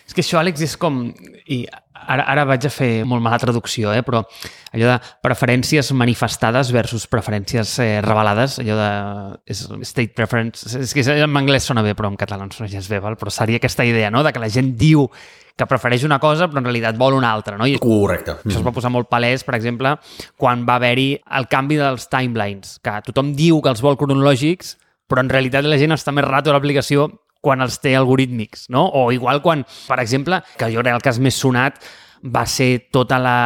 És que això, Àlex, és com... I ara, ara vaig a fer molt mala traducció, eh? Però allò de preferències manifestades versus preferències eh, revelades, allò de... És state preference... És que en anglès sona bé, però en català no sona gens bé, val? Però seria aquesta idea, no?, de que la gent diu que prefereix una cosa, però en realitat vol una altra, no? I correcte. Això es va posar molt palès, per exemple, quan va haver-hi el canvi dels timelines, que tothom diu que els vol cronològics, però en realitat la gent està més rato a l'aplicació quan els té algorítmics, no? O igual quan, per exemple, que jo crec que el cas més sonat va ser tota la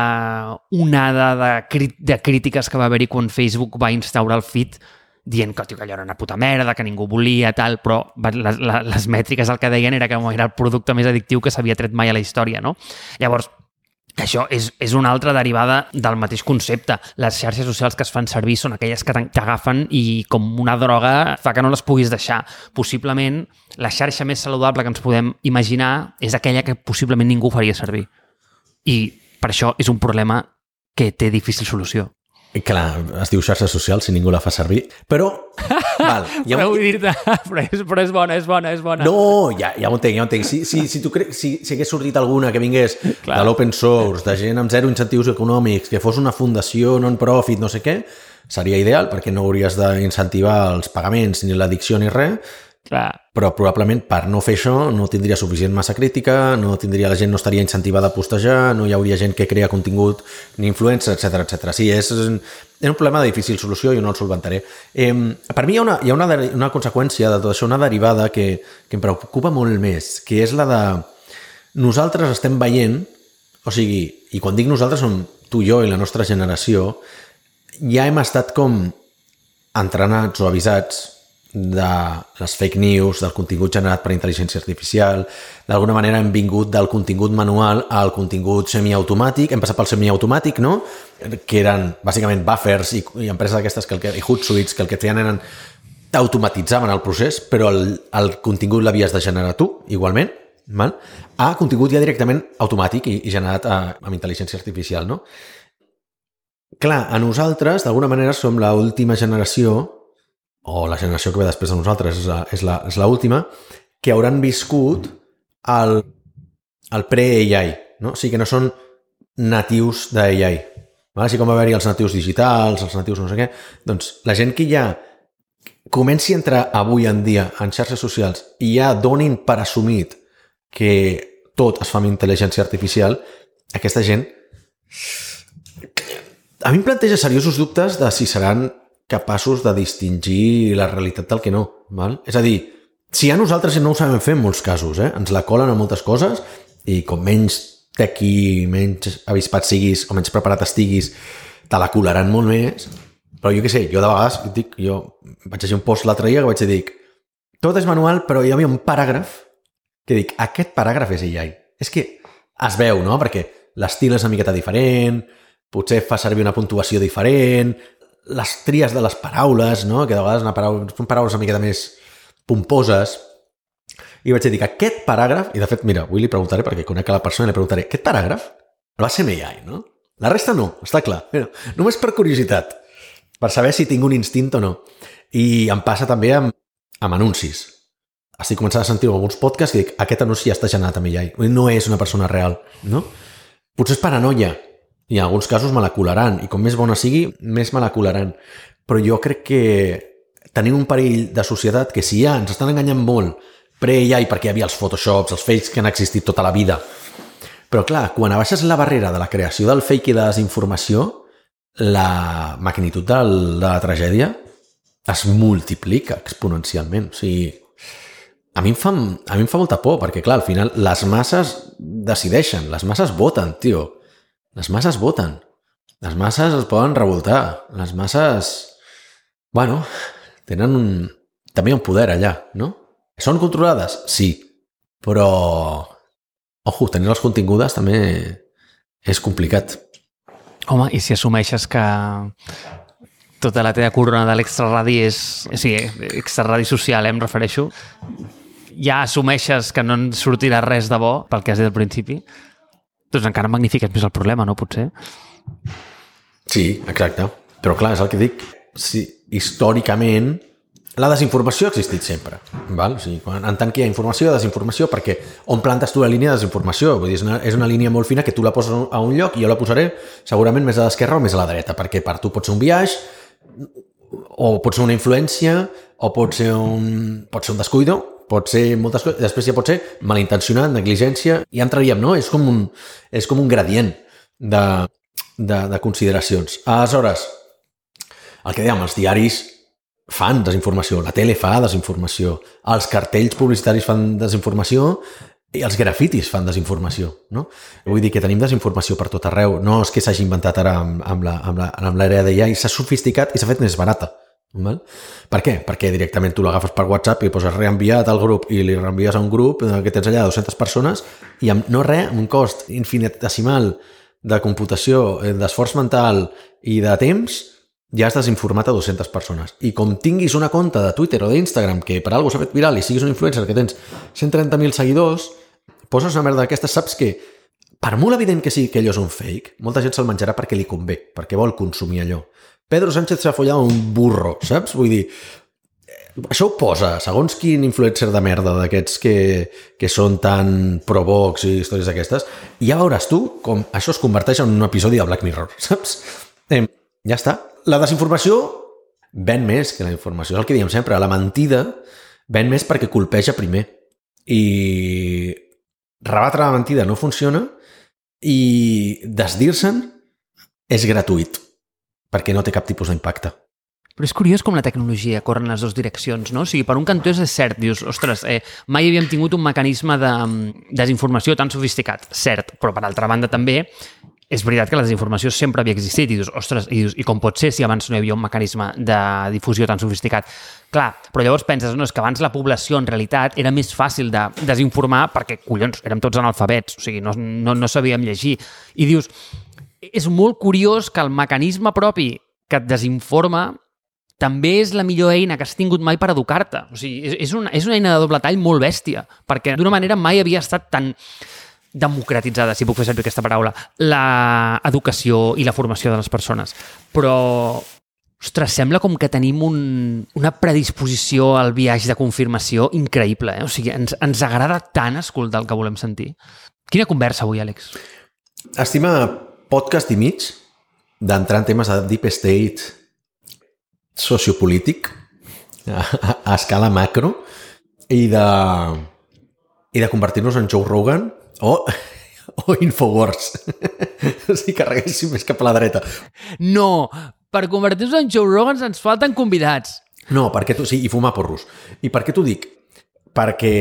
onada de, crí de crítiques que va haver-hi quan Facebook va instaurar el feed dient que, tio, que allò era una puta merda, que ningú volia, tal, però les, les mètriques el que deien era que era el producte més addictiu que s'havia tret mai a la història, no? Llavors, això és, és una altra derivada del mateix concepte. Les xarxes socials que es fan servir són aquelles que t'agafen i com una droga fa que no les puguis deixar. Possiblement, la xarxa més saludable que ens podem imaginar és aquella que possiblement ningú faria servir. I per això és un problema que té difícil solució. Clar, es diu xarxes socials si ningú la fa servir, però... Val, ja però vull dir-te, però, és, però és bona, és bona, és bona. No, ja, ja ho entenc, ja ho entenc. Si, si, si, tu cre... si, si hagués sortit alguna que vingués Clar. de l'open source, de gent amb zero incentius econòmics, que fos una fundació non-profit, no sé què, seria ideal, perquè no hauries d'incentivar els pagaments ni l'addicció ni res, Clar. Però probablement per no fer això no tindria suficient massa crítica, no tindria la gent no estaria incentivada a postejar, no hi hauria gent que crea contingut ni influencer, etcètera, etcètera. Sí, és, és un problema de difícil solució i jo no el solventaré. Eh, per mi hi ha, una, hi ha una, una conseqüència de tot això, una derivada que, que em preocupa molt més, que és la de nosaltres estem veient, o sigui, i quan dic nosaltres som tu, jo i la nostra generació, ja hem estat com entrenats o avisats de les fake news, del contingut generat per intel·ligència artificial. D'alguna manera hem vingut del contingut manual al contingut semiautomàtic, hem passat pel semiautomàtic, no? Que eren bàsicament buffers i, i empreses d'aquestes que el que, i Hootsuite que el que feien eren automatitzaven el procés, però el, el contingut l'havies de generar tu, igualment, val? A contingut ja directament automàtic i, i generat a, amb intel·ligència artificial, no? Clar, a nosaltres, d'alguna manera, som l'última generació, o la generació que ve després de nosaltres és, la, és, la, és l'última, que hauran viscut el, el pre-A I, no? O sigui que no són natius d'A I. Val? Així com va haver-hi els natius digitals, els natius no sé què, doncs la gent que ja comenci a entrar avui en dia en xarxes socials i ja donin per assumit que tot es fa amb intel·ligència artificial, aquesta gent a mi em planteja seriosos dubtes de si seran capaços de distingir la realitat del que no. Val? És a dir, si a nosaltres no ho sabem fer en molts casos, eh? Ens la colen a moltes coses i com menys tequi, menys avispat siguis o menys preparat estiguis, te la colaran molt més. Però jo què sé, jo de vegades dic, jo vaig llegir un post l'altre dia que vaig dir tot és manual, però hi havia un paràgraf que dic, aquest paràgraf és A I. És que es veu, no? Perquè l'estil és una miqueta diferent, potser fa servir una puntuació diferent, les tries de les paraules, no? Que de vegades una paraula, són paraules una miqueta més pomposes. I vaig dir que aquest paràgraf, i de fet, mira, avui li preguntaré, perquè conec a la persona i li preguntaré, aquest paràgraf va ser amb A I, no? La resta no, està clar. Mira, només per curiositat, per saber si tinc un instint o no. I em passa també amb, amb anuncis. Estic començant a sentir alguns podcasts i dic, aquest anunci ja està generat amb A I. No és una persona real, no? Potser és paranoia. I en alguns casos me la colaran, i com més bona sigui, més me la colaran. Però jo crec que tenim un perill de societat que si ja ens estan enganyant molt pre-A I, perquè hi havia els Photoshops, els fakes que han existit tota la vida. Però clar, quan abaixes la barrera de la creació del fake i de la desinformació, la magnitud de la tragèdia es multiplica exponencialment. O sigui, a mi em fa, a mi em fa molta por, perquè clar, al final les masses decideixen, les masses voten, tio. Les masses voten. Les masses es poden revoltar. Les masses, bueno, tenen un, també un poder allà, no? Són controlades? Sí. Però, ojo, tenir-les contingudes també és complicat. Home, i si assumeixes que tota la teva corona de l'extraradi és... O sigui, extraradi social, eh, em refereixo. Ja assumeixes que no en sortirà res de bo, pel que has dit al principi, doncs encara magnifiques més el problema, no? Potser. Sí, exacte. Però clar, és el que dic. Sí, històricament, la desinformació ha existit sempre. Val? O sigui, quan, en tant que hi ha informació, hi ha desinformació, perquè on plantes tu la línia de desinformació? Vull dir, és una, és una línia molt fina que tu la poses a un lloc i jo la posaré segurament més a l'esquerra o més a la dreta, perquè per tu pot ser un viatge, o pot ser una influència, o pot ser un, pot ser un descuido, pot ser moltes coses, després ja pot ser malintencionat, negligència, i entraríem, no? És com un, és com un gradient de, de, de consideracions. Aleshores, el que dèiem, els diaris fan desinformació, la tele fa desinformació, els cartells publicitaris fan desinformació i els grafitis fan desinformació, no? Vull dir que tenim desinformació per tot arreu. No és que s'hagi inventat ara amb, amb, la, amb, la, amb l'era d'A I, s'ha sofisticat i s'ha fet més barata. Val? Per què? Perquè directament tu l'agafes per WhatsApp i poses reenviat al grup i li reenvies a un grup que tens allà dues-centes persones i amb no res, amb un cost infinitesimal de computació, d'esforç mental i de temps, ja has desinformat a dues-centes persones. I com tinguis una compte de Twitter o d'Instagram que per alguna cosa s'ha fet viral i siguis un influencer que tens cent trenta mil seguidors, poses una merda d'aquestes, saps que per molt evident que sigui que allò és un fake, molta gent se'l menjarà perquè li convé, perquè vol consumir allò. Pedro Sánchez s'ha follat un burro, saps? Vull dir, això ho posa, segons quin influencer de merda d'aquests que, que són tan pro-Vox i històries d'aquestes, i ja veuràs tu com això es converteix en un episodi de Black Mirror, saps? Eh, ja està. La desinformació ven més que la informació. És el que diem sempre. La mentida ven més perquè colpeja primer. I rebatre la mentida no funciona i desdir-se'n és gratuït, perquè no té cap tipus d'impacte. Però és curiós com la tecnologia corre en les dues direccions, no? O sigui, per un cantó és cert, dius, ostres, eh, mai havíem tingut un mecanisme de desinformació tan sofisticat, cert, però per altra banda també és veritat que la desinformació sempre havia existit i dius, ostres, i, dius, i com pot ser si abans no hi havia un mecanisme de difusió tan sofisticat? Clar, però llavors penses, no, és que abans la població en realitat era més fàcil de desinformar perquè, collons, érem tots analfabets, o sigui, no, no, no sabíem llegir. I dius, és molt curiós que el mecanisme propi que et desinforma també és la millor eina que has tingut mai per educar-te. O sigui, és, és, una, és una eina de doble tall molt bèstia, perquè d'una manera mai havia estat tan democratitzada, si puc fer servir aquesta paraula, l'educació i la formació de les persones. Però, ostres, sembla com que tenim un, una predisposició al viatge de confirmació increïble. Eh? O sigui, ens, ens agrada tant escoltar el que volem sentir. Quina conversa avui, Àlex? Estima podcast i mig d'entrar en temes de deep state sociopolític a, a escala macro i de, i de convertir-nos en Joe Rogan o, o Infowars. Si carreguéssim més cap a la dreta. No, per convertir-nos en Joe Rogan ens falten convidats. No, perquè tu, sí, i fumar porros. I per què t'ho dic? Perquè,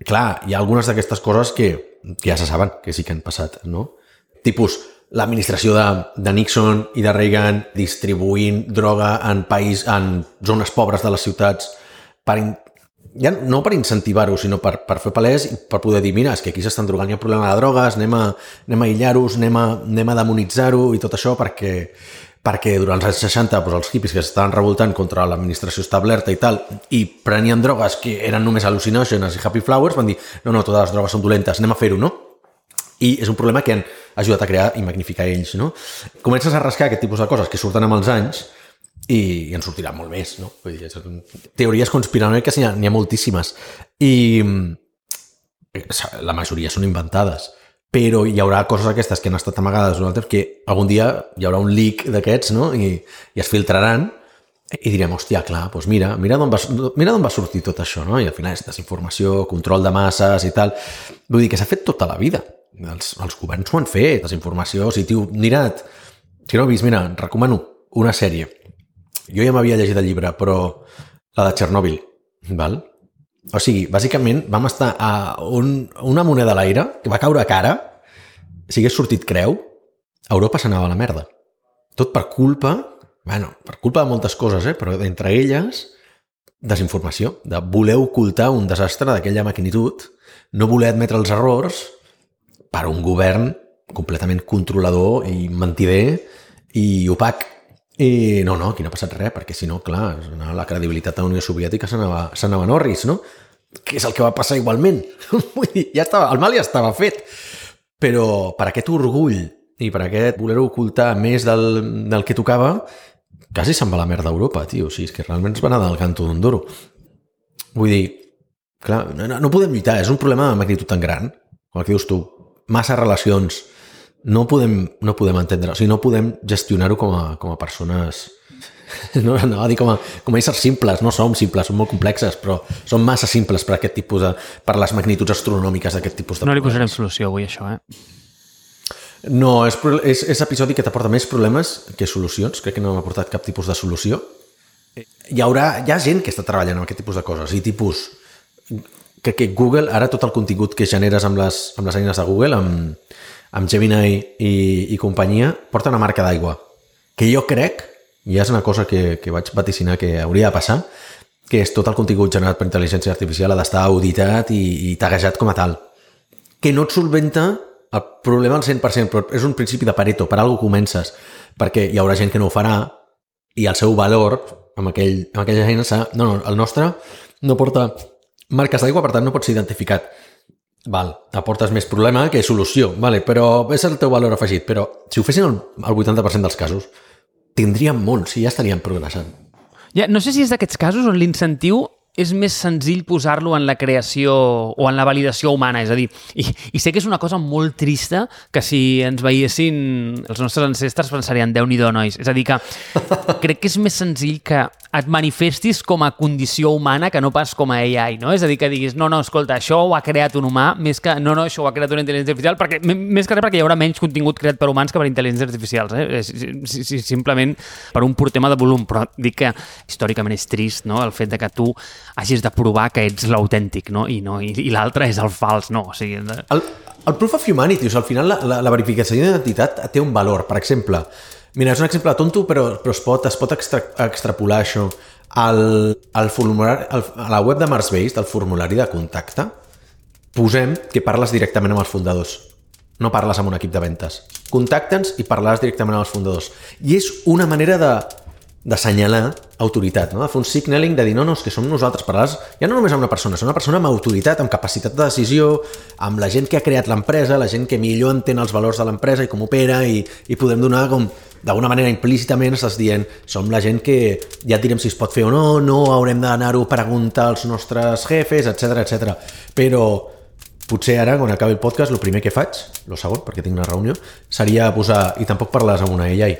clar, hi ha algunes d'aquestes coses que, que ja se saben, que sí que han passat, no? Tipus, l'administració de, de Nixon i de Reagan distribuint droga en país, en zones pobres de les ciutats, per in, ja no per incentivar-ho, sinó per, per fer palès i per poder dir, mira, és que aquí s'estan drogant, hi ha un problema de drogues, anem a, anem a aïllar-los, anem a, anem a demonitzar-ho i tot això perquè, perquè durant els anys seixanta doncs, els hippies que s'estaven revoltant contra l'administració establerta i tal, i prenien drogues que eren només al·lucinògenes i happy flowers, van dir, no, no, totes les drogues són dolentes, anem a fer-ho, no? I és un problema que han ajudat a crear i magnificar ells, no? Comences a rascar aquest tipus de coses que surten amb els anys i, i en sortirà molt més, no? Vull dir, teories conspiranoiques n'hi ha, n'hi ha moltíssimes. I la majoria són inventades. Però hi haurà coses aquestes que han estat amagades durant el temps que algun dia hi haurà un leak d'aquests, no? I, i es filtraran i direm, hòstia, clar, doncs mira, mira d'on va, mira d'on va sortir tot això, no? I al final és desinformació, control de masses i tal. Vull dir que s'ha fet tota la vida. Els, els governs ho han fet, desinformació. O sigui, tio, mira't, si no ho he vist, mira, recomano una sèrie. Jo ja m'havia llegit el llibre, però la de Txernòbil, val? O sigui, bàsicament vam estar a un, una moneda a l'aire que va caure a cara, si hagués sortit creu, Europa s'anava a la merda. Tot per culpa, bueno, per culpa de moltes coses, eh? Però entre elles, desinformació, de voler ocultar un desastre d'aquella magnitud, no voler admetre els errors per un govern completament controlador i mentider i opac. I no, no, aquí no ha passat res, perquè si no, clar, la credibilitat de la Unió Soviètica s'anava, s'anava en orris, no? Que és el que va passar igualment. Vull dir, ja estava, el mal ja estava fet. Però per aquest orgull i per aquest voler ocultar més del, del que tocava, quasi se'n va la merda d'Europa, tio. O sigui, és que realment ens va anar del canto d'un duro. Vull dir, clar, no, no podem lluitar, és un problema de magnitud tan gran, com el que dius tu, massa relacions, no podem, no podem entendre, o sigui, no podem gestionar-ho com a, com a persones, no, no a dir com a, com a éssers simples, no som simples, som molt complexes, però som massa simples per aquest tipus de, per les magnituds astronòmiques d'aquest tipus de no problemes. li posarem solució avui, això, eh? No, és, és, és episodi que t'aporta més problemes que solucions, crec que no m'ha aportat cap tipus de solució. Hi haurà, hi ha gent que està treballant amb aquest tipus de coses, i tipus... que, que Google, ara tot el contingut que generes amb les, amb les eines de Google, amb, amb Gemini i, i companyia, porta una marca d'aigua. Que jo crec, i és una cosa que, que vaig vaticinar que hauria de passar, que és tot el contingut generat per intel·ligència artificial ha d'estar auditat i, i taguejat com a tal. Que no et solventa el problema al cent per cent, però és un principi de Pareto, per alguna cosa comences, perquè hi haurà gent que no ho farà i el seu valor amb, aquell, amb aquella eines, no, no, el nostre no porta marques d'aigua, per tant no pot ser identificat. Val, aportes més problema que solució, vale, però és el teu valor afegit, però si ho fessin el, el vuitanta per cent dels casos, tindríem molt, si ja estaríem progressant. Ja, no sé si és d'aquests casos on l'incentiu és més senzill posar-lo en la creació o en la validació humana, és a dir, i, i sé que és una cosa molt trista que si ens veiessin els nostres ancestres pensarien Déu-n'hi-do, nois. És a dir, que crec que és més senzill que et manifestis com a condició humana que no pas com a A I, no? És a dir, que diguis, no, no, escolta, això ho ha creat un humà, més que, no, no, això ho ha creat una intel·ligència artificial, perquè, més que res perquè hi haurà menys contingut creat per humans que per intel·ligències artificials, eh? Si, si, simplement per un pur tema de volum, però dic que històricament és trist, no?, el fet de que tu hagis de provar que ets l'autèntic, no? I, no, i, i l'altre és el fals, no? O sigui... De... El, el proof of humanity, o sigui, al final la, la, la verificació d'identitat té un valor. Per exemple, mira, és un exemple tonto, però, però es pot, es pot extra, extrapolar això. Al, al formulari, al, a la web de Marsbase, del formulari de contacte, posem que parles directament amb els fundadors. No parles amb un equip de ventes. Contacta'ns i parlaràs directament amb els fundadors. I és una manera de d'assenyalar autoritat, no? De fer un signaling, de dir, no, no, és que som nosaltres, parlaràs ja no només amb una persona, és una persona amb autoritat, amb capacitat de decisió, amb la gent que ha creat l'empresa, la gent que millor entén els valors de l'empresa i com opera, i, i podem donar com, d'alguna manera implícitament estàs dient, som la gent que ja et direm si es pot fer o no, no haurem d'anar-ho a preguntar als nostres jefes, etcètera, etcètera. Però potser ara, quan acabi el podcast, el primer que faig, el segon, perquè tinc una reunió, seria posar, i tampoc parles amb una A I.